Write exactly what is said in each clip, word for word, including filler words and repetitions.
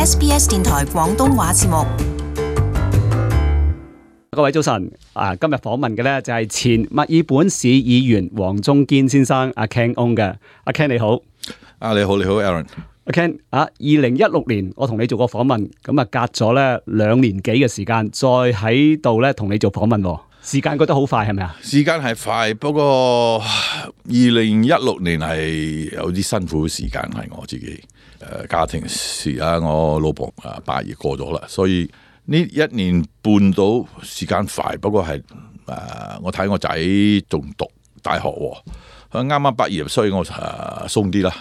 S B S 電台廣東話節目。各位早晨，啊，今日訪問嘅咧就係前墨爾本市議員黃中堅先生，阿 Ken Ong 嘅。阿 Ken 你好。啊，你好，你好 Aaron。阿 Ken 啊，二零一六年我同你做過訪問，咁啊隔咗咧兩年幾嘅時間，再喺度咧同你做訪問，時間覺得好快係咪啊？時間係快，不過二零一六年係有啲辛苦嘅時間，係我自己誒、呃、家庭事啊，我老婆啊八月過咗啦，所以呢一年半到時間快，不過係誒、呃、我睇我仔仲讀大學喎，佢啱啱畢業，所以我誒鬆啲啦。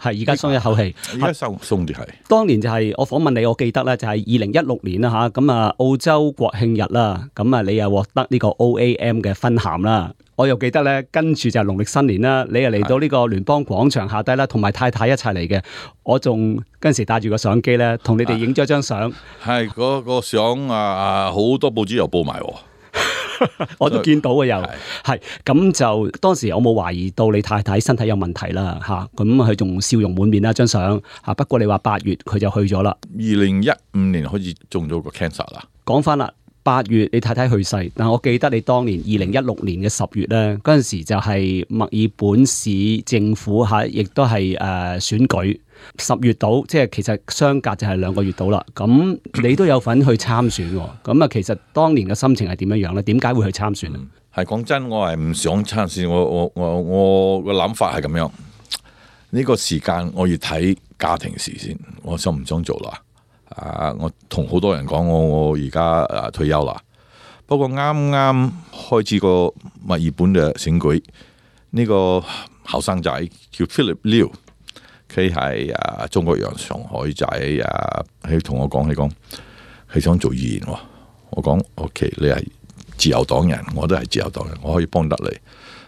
係而家鬆一口氣，而家鬆鬆啲係。當年就係我訪問你，我記得咧就係二零一六年啦吓，咁啊澳洲國慶日啦，咁啊你又獲得呢個 O A M 嘅勳銜啦，我又記得咧跟住就係農曆新年啦，你又嚟到呢個聯邦廣場下低啦，同埋太太一齊嚟嘅，我仲嗰陣時帶住個相機咧，同你哋影咗張相。係嗰、嗰個相啊，好多報紙又報埋喎。我都見到嘅又係咁就當時我冇懷疑到你太太身體有問題啦嚇，咁佢仲笑容滿面啦張相嚇。不過你話八月佢就去咗啦。二零一五年開始中咗個 cancer 啦。講翻啦，八月你太太去世，但我記得你當年二零一六年嘅十月咧，嗰陣時就係墨爾本市政府嚇，亦都係誒選舉。十月到，即係其實相隔就係兩個月到啦。咁你都有份去參選喎。咁啊，其實當年嘅心情係點樣樣咧？點解會去參選啊？係講真，我係唔想參選。我我我我個諗法係咁樣。呢個時間我要睇家庭事先，我想唔想做啦？啊，我同好多人講，我我而家啊退休啦。不過啱啱開始個墨爾本嘅選舉，呢個後生仔叫 Philip Liu。佢係啊中國人，上海仔啊，佢同我講，佢講佢想做議員喎。我講 OK， 你係自由黨人，我都係自由黨人，我可以幫得你。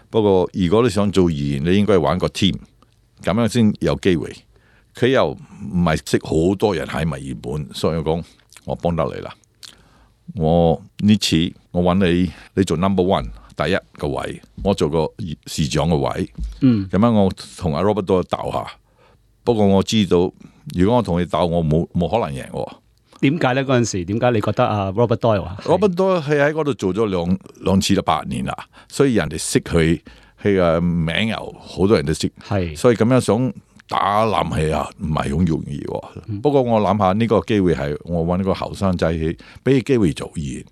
不過如果你想做議員，你應該玩個 team，咁樣先有機會。佢又唔係識好多人喺墨爾本，所以我講我幫得你啦。我呢次我揾你，你做 number one 第一個位，我做個市長嘅位。嗯，咁樣我同阿 Robert 都鬥下。不過我知道，如果我同你鬥，我冇冇可能贏喎。點解咧？嗰陣時點解你覺得啊 Robert Doyle 啊 Robert Doyle 係喺嗰度做咗兩兩次啦，八年啦，所以人哋識佢，佢嘅名又好多人都識。係，所以咁樣想打冧佢啊，唔係好容易喎。嗯、不過我諗下呢個機會係我揾個後生仔去，俾佢機會做議員，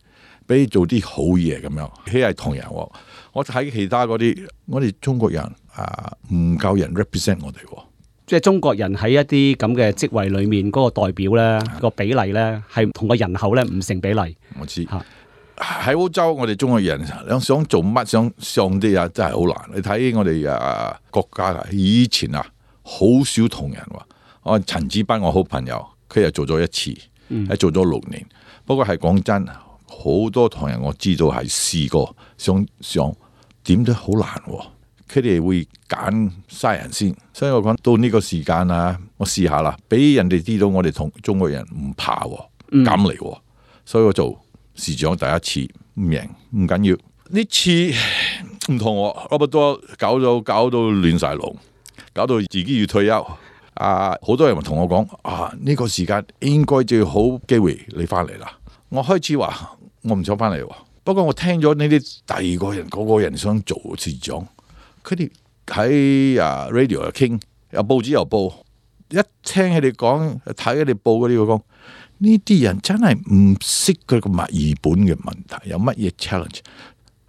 俾佢做啲好嘢咁樣。佢係同人喎，我睇其他嗰啲，我哋中國人啊唔夠人 represent 我哋喎。即係中國人喺一啲咁嘅職位裏面嗰個代表咧，個比例咧係同個人口咧唔成比例。我知喺澳洲，我哋中國人想做乜想上啲啊，真係好難。你睇我哋啊國家以前啊，好少同人話。我陳子斌我好朋友，佢又做咗一次，係、嗯、做咗六年。不過係講真，好多同人我知道係試過想上，點都好難喎。佢哋會揀嘥人先，所以我講到呢個時間啊，我試下啦，俾人哋知道我哋同中國人唔怕喎，敢嚟喎，所以我做市長第一次唔贏唔緊要，呢次唔同我 Robert Doyle 搞到搞到亂晒龍，搞到自己要退休啊！好多人同我講啊，呢個時間應該最好機會你翻嚟啦。我開始話我唔想翻嚟喎，不過我聽咗呢啲第二個人嗰個人想做市長。佢哋喺啊 radio 又傾，有報紙又報，一聽佢哋講，睇佢哋報嗰啲，我講呢啲人真係唔識佢個墨爾本嘅問題，有乜嘢 challenge？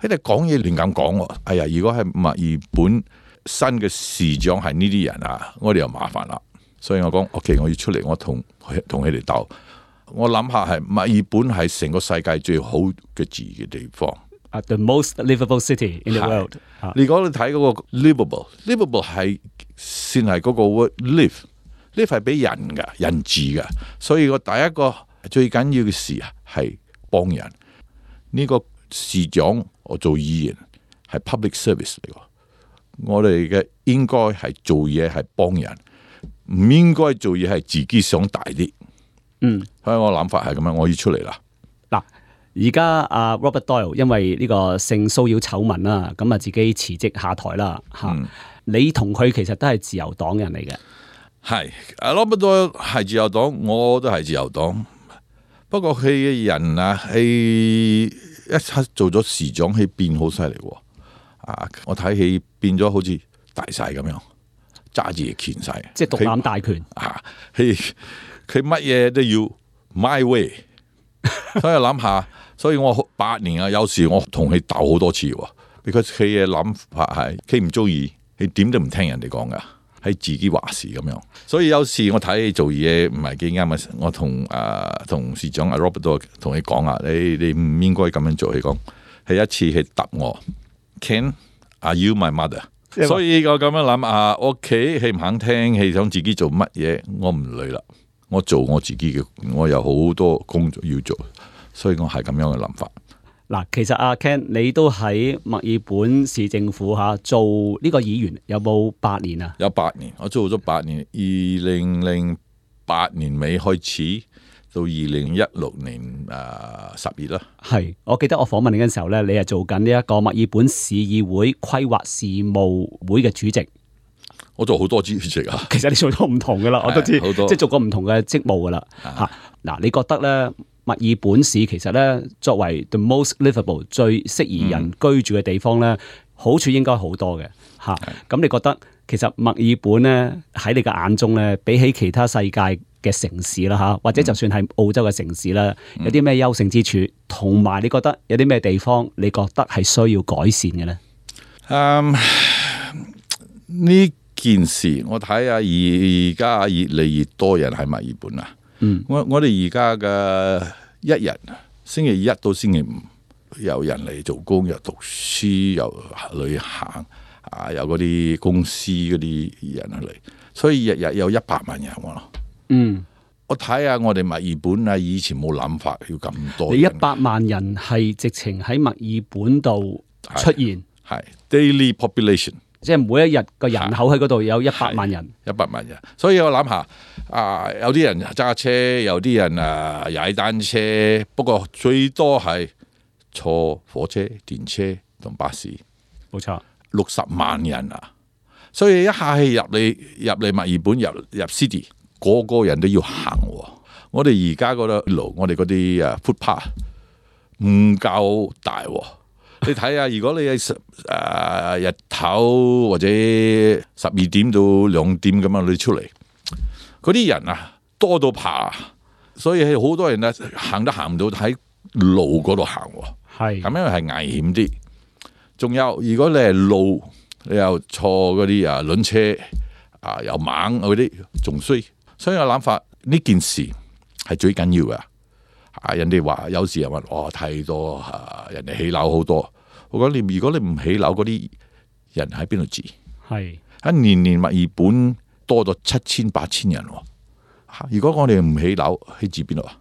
佢哋講嘢亂咁講喎。哎呀，如果係墨爾本新嘅市長係呢啲人啊，我哋又麻煩啦。所以我講 OK， 我要出嚟，我同同佢哋鬥。我諗下係墨爾本係成個世界最好嘅住嘅地方。Uh, the most livable city in the world。如果你睇嗰個 livable，livable 係先係嗰個 word live，live 係俾人嘅人治嘅，所以我第一個最緊要嘅事啊係幫人。呢、這個市長我做議員係 public service 嚟嘅，我哋嘅應該係做嘢係幫人，唔應該做嘢係自己想大啲。嗯，所以我諗法係咁樣，我要出嚟啦。嗱。而家阿 Robert Doyle 因為呢個性騷擾醜聞啦，咁啊自己辭職下台啦嚇。嗯、你同佢其實都係自由黨人嚟嘅。係阿羅伯多係自由黨，我都係自由黨。不過佢嘅人啊，係一刻做咗市長，佢變好犀利喎。啊，我睇佢變咗好似大晒咁樣，揸住嘢權晒，即係獨攬大權。啊，佢佢乜嘢都要 my way。所以諗下，所以我八年啊，有時我同佢鬥好多次喎。because 佢嘅諗法係佢唔中意，佢點都唔聽人哋講噶，係自己話事咁樣。所以有時我睇佢做嘢唔係幾啱啊，我同誒同市長阿 Robert 都同佢講啊，你你唔應該咁樣做。佢講係一次係答我 Ken are you my mother？ 所以我咁樣諗啊，屋企佢唔肯聽，佢想自己做乜嘢，我唔理啦，我做我自己嘅，我有好多工作要做。所以我係咁樣嘅諗法。嗱，其實阿 Ken 你都喺墨爾本市政府嚇做呢個議員，有冇八年啊？有八年，我做咗八年，二零零八年尾開始到二零一六年誒十月啦。係，我記得我訪問你嘅時候咧，你係做緊呢一個墨爾本市議會規劃事務會嘅主席。我做好多主席啊。其實你做咗唔同噶啦，我都知，即係做過唔同嘅職務噶啦嚇。嗱，你覺得咧？墨爾本市其實咧，作為 the most livable 最適宜人居住嘅地方咧，嗯、好處應該好多嘅嚇。咁你覺得其實墨爾本咧喺你嘅眼中咧，比起其他世界嘅城市啦嚇，或者就算係澳洲嘅城市啦，嗯、有啲咩優勝之處？同埋你覺得有啲咩地方你覺得係需要改善嘅咧？嗯，呢件事我睇下而家越嚟越多人喺墨爾本啊。嗯，我我哋而家嘅一日星期一到星期五有人嚟做工，又讀書，又旅行啊，有嗰啲公司嗰啲人嚟，所以日日有一百萬人喎。嗯，我睇下我哋墨爾本啊，以前冇諗法要咁多。你一百萬人係直情喺墨爾本度出現，係 daily population。即係每一日個人口喺嗰度有一百萬人，一百萬人，所以我諗下啊，有啲人揸車，有啲人啊踩單車，不過最多係坐火車、電車同巴士，冇錯，六十萬人啊！所以一下氣入嚟入嚟墨爾本入入 city， 個個人都要行。我哋而家嗰度路，我哋嗰啲啊 footpath 唔夠大。你睇下，如果你喺誒、呃、日頭或者十二點到兩點咁樣你出嚟，嗰啲人啊多到爬，所以係好多人啊行都行唔到喺路嗰度行，係咁樣係危險啲。仲有，如果你係路，你又坐嗰啲啊輪車啊又猛嗰啲，仲衰。所以我諗法呢件事係最緊要嘅。啊！人哋話有時人話哦太多啊，人哋起樓好多。我講你，如果你唔起樓，嗰啲人喺邊度住？係一年年墨爾本多咗七千八千人。如果我哋唔起樓，喺住邊度啊？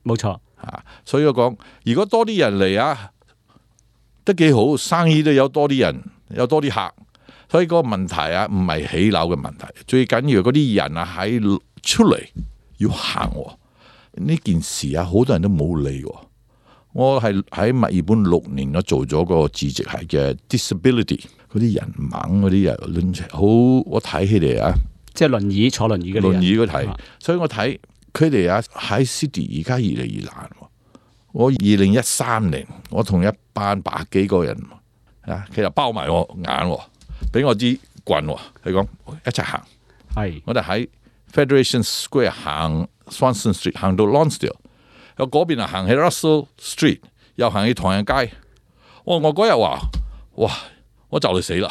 冇錯啊！所以我講，如果多啲人嚟啊，都幾好，生意都有多啲人，有多啲客。所以個問題啊，唔係起樓嘅問題，最緊要嗰啲人啊喺出嚟要行。呢件事啊，好多人都冇理。我係喺墨爾本六年，我做咗個主席係嘅 disability 嗰啲人猛嗰啲人輪車好，我睇起嚟啊，即係輪椅坐輪椅嘅輪椅嗰睇，啊、所以我睇佢哋啊喺 city 而家越嚟越難。我二零一三年，我同一班百幾個人啊，其實包埋我眼，俾我支棍，佢講一齊行。係我哋喺 Federation Square 行 Swanston Street 行到 Lonsdale， 有嗰邊啊行去 Russell Street， 又行去唐人街。我我嗰日話，哇！我就嚟死啦！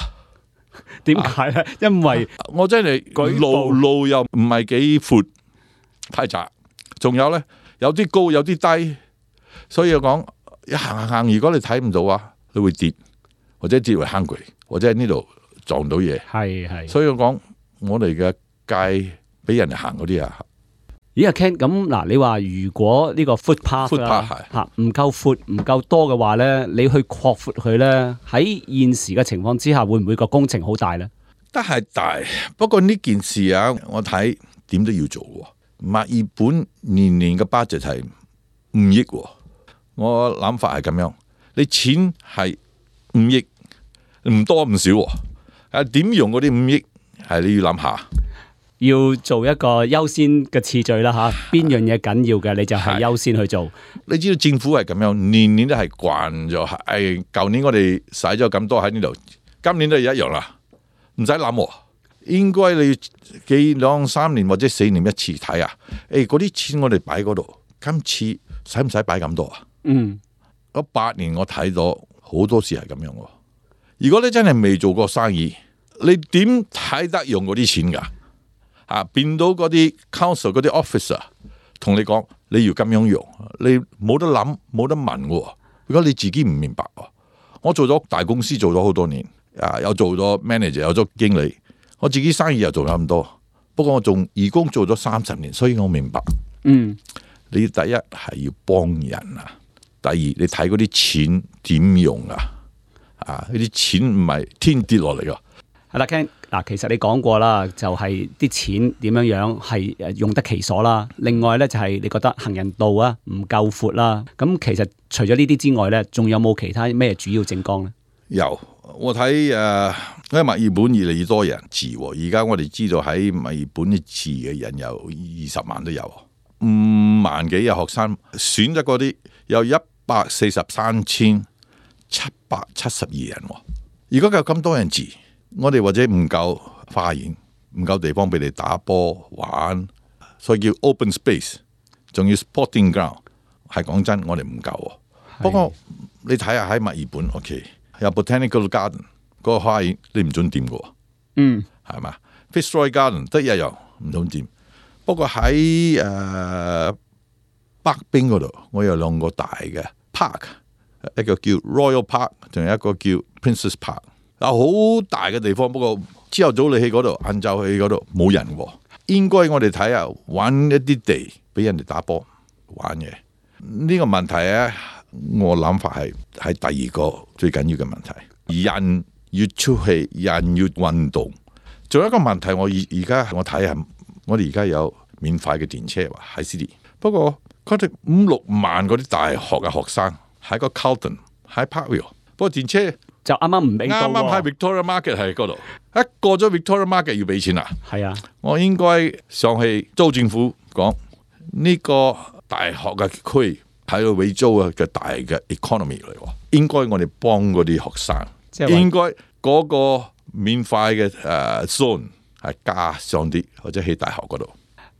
點解咧？因為我真係路路又唔係幾闊，太窄。仲有咧，有啲高，有啲低，所以我講一行行行，如果你睇唔到啊，你會跌，或者跌為 hungry， 或者喺呢度撞到嘢。係係。所以我講我哋嘅街俾人哋行嗰啲啊。咦，阿 Ken，咁嗱，你話如果呢個 footpath 啦嚇唔夠闊唔夠多嘅話咧，你去擴闊佢咧，喺現時嘅情況之下，會唔會個工程好大咧？都係大，不過呢件事啊，我睇點都要做喎。墨爾本年年嘅 budget 係五億喎，我諗法係咁樣，你錢係五億，唔多唔少喎，啊點用嗰啲五億係你要諗下。要做一個優先嘅次序啦吓，邊樣嘢緊要嘅你就係優先去做。你知道政府係咁樣，年年都係慣咗。係舊年我哋使咗咁多喺呢度，今年都係一樣啦，唔使諗。應該你幾兩三年或者四年一次睇啊？誒，嗰啲錢我哋擺嗰度，今次使唔使擺咁多啊？嗯，嗰八年我睇到好多時係咁樣。如果你真係未做過生意，你點睇得用嗰啲錢噶？啊，變到嗰啲 council 嗰啲 officer 同你講你要咁樣用，你冇得諗冇得問嘅。如果你自己唔明白，我做咗大公司做咗好多年，啊，又做咗 manager， 有咗經理，我自己生意又做咗咁多。不過我做義工做咗三十年，所以我明白。嗯，你第一係要幫人啊，第二你睇嗰啲錢點用啊？啊，呢啲錢唔係天跌落嚟噶。係啦，Ken，嗱，其實你講過啦，就係啲錢點樣樣係誒用得其所啦。另外咧就係你覺得行人道啊唔夠闊啦。咁其實除咗呢啲之外咧，仲有冇其他咩主要政綱咧？有，我睇誒，因為墨爾本越嚟越多人住，而家我哋知道喺墨爾本住嘅人有二十萬都有，五萬幾嘅學生選擇嗰啲有一百四十三千七百七十二人。如果有咁多人住，我哋或者唔夠花園，唔夠地方俾你打波玩，所以叫 open space， 仲要 sporting ground。係講真，我哋唔夠。不過你睇下喺墨爾本 ，OK， 有 botanical garden 嗰個花園，你唔准掂嘅。嗯，係嘛 ？Fitzroy Garden 得一樣唔准掂。不過喺誒北邊嗰度，我有兩個大嘅 park， 一個叫 Royal Park， 仲有一個叫 Princess Park。有好大嘅地方，不過朝頭早你去嗰度，晏晝去嗰度冇人。應該我哋睇下，搵一啲地俾人哋打波玩嘅。呢個問題咧，我諗法係係第二個最緊要嘅問題。人要出去，人要運動。仲有一個問題，我而而家我睇下，我哋而家有免費嘅電車喺 City， 不過佢哋五六萬嗰啲大學嘅學生喺個 Carlton 喺 Parkville， 不過電車就啱啱唔俾到，啱啱喺 Victoria Market 喺嗰度，一過咗 Victoria Market 要俾錢啦。係啊，我應該上去州政府講呢個大學嘅區喺度俾租嘅大嘅 economy 嚟，應該我哋幫嗰啲學生，即係應該嗰個免費嘅誒 zone 係加上啲或者喺大學嗰度。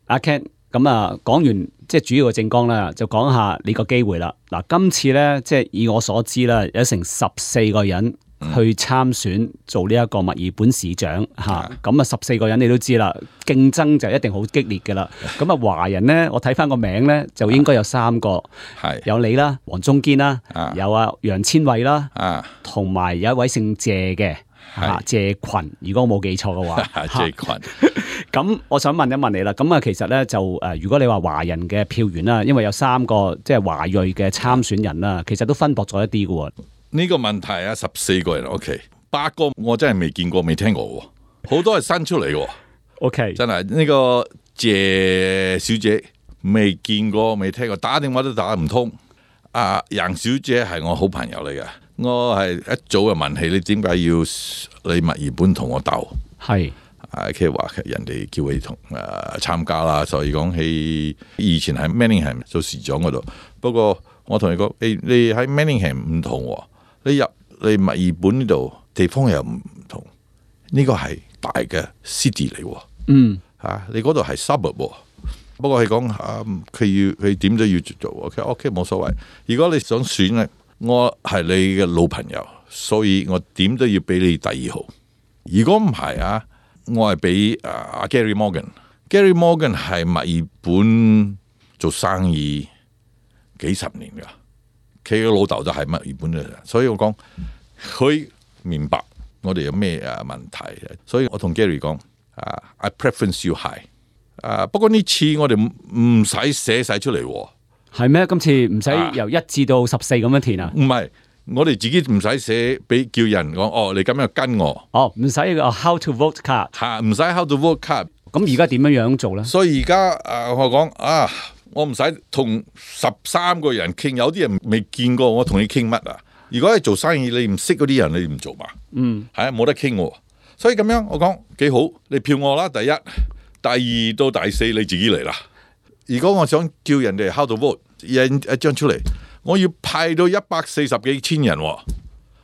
阿 Ken，咁啊講完即係主要嘅政綱啦，就講下你個機會啦。嗱，今次咧即係以我所知啦，有成十四個人去參選做呢一個墨爾本市長嚇。咁啊十四個人你都知啦，競爭就一定好激烈嘅啦。咁啊華人咧，我睇翻個名咧就應該有三個，係有你啦，黃中堅啦，有啊楊千卉啦，同埋有一位姓謝嘅嚇謝群，如果我冇記錯嘅話，謝群。咁我想問一問你啦，咁啊其實咧就誒，如果你話華人嘅票源啦，因為有三個即係華裔嘅參選人啦，其實都分薄咗一啲嘅喎。呢個問題啊，十四個人 OK， 八個我真係未見過、未聽過喎，好多係新出嚟嘅。OK， 真係呢個謝小姐未見過、未聽過，打電話都打唔通。啊，楊小姐係我好朋友嚟嘅，我係一早就問起你點解要你墨爾本同我鬥？係。啊，佢話人哋叫佢同誒參加啦，所以講起以前喺 Manningham 做市長嗰度。不過我同你講，誒你喺 Manningham 唔同，你入你墨爾本呢度地方又唔同，呢個係大嘅 city 嚟。嗯，嚇你嗰度係 suburb。不過佢講啊，佢要佢點都要做。OK OK 冇所謂。如果你想選咧，我係你嘅老朋友，所以我點都要俾你第二號。如果唔係啊？我係俾阿 Gary Morgan，Gary Morgan 係墨爾本做生意幾十年噶，佢嘅老豆就係墨爾本嘅人，所以我講佢明白我哋有咩啊問題，所以我同 Gary 講啊 ，I preference you high， 啊不過呢次我哋唔使寫晒出嚟，係咩？今次唔使由一至到十四咁樣填啊？唔係。我哋自己唔使寫俾叫人講哦，你咁樣跟我哦，唔使個 how to vote card 吓，唔使 how to vote card。咁而家點樣樣做咧？所以而家誒，我講啊，我唔使同十三個人傾，有啲人未見過我同你傾乜啊？如果係做生意，你唔識嗰啲人，你唔做嘛？嗯，係啊，冇得傾喎。所以咁樣我講幾好，你票我啦，第一，第二到第四你自己嚟啦。如果我想叫人哋 how to vote 印一張出嚟，我要派到一百四十幾千人喎，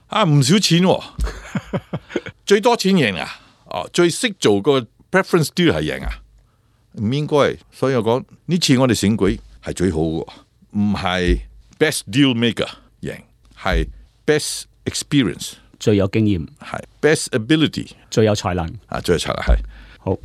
啊唔少錢喎，最多錢贏啊！哦，最識做個 preference deal 係贏啊，唔應該。所以我講呢次我哋選舉係最好嘅，唔係 best deal maker 贏，係 best experience 最有經驗，係 best ability 最有才能啊，最有才能係。好，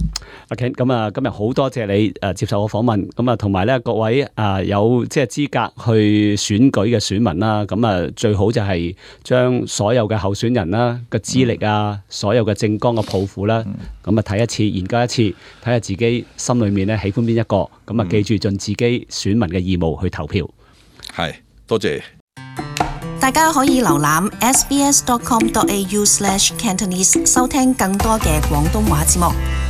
阿 Ken，咁啊，今日好多謝你誒接受我訪問，咁啊，同埋咧各位啊有即係資格去選舉嘅選民啦，咁啊最好就係將所有嘅候選人啦嘅資歷啊，所有嘅政綱嘅抱負啦，咁啊睇一次，研究一次，睇下自己心裏面咧喜歡邊一個，咁啊記住盡自己選民嘅義務去投票。係，多謝。大家可以瀏覽 s b s dot com dot a u slash cantonese 收聽更多嘅廣東話節目。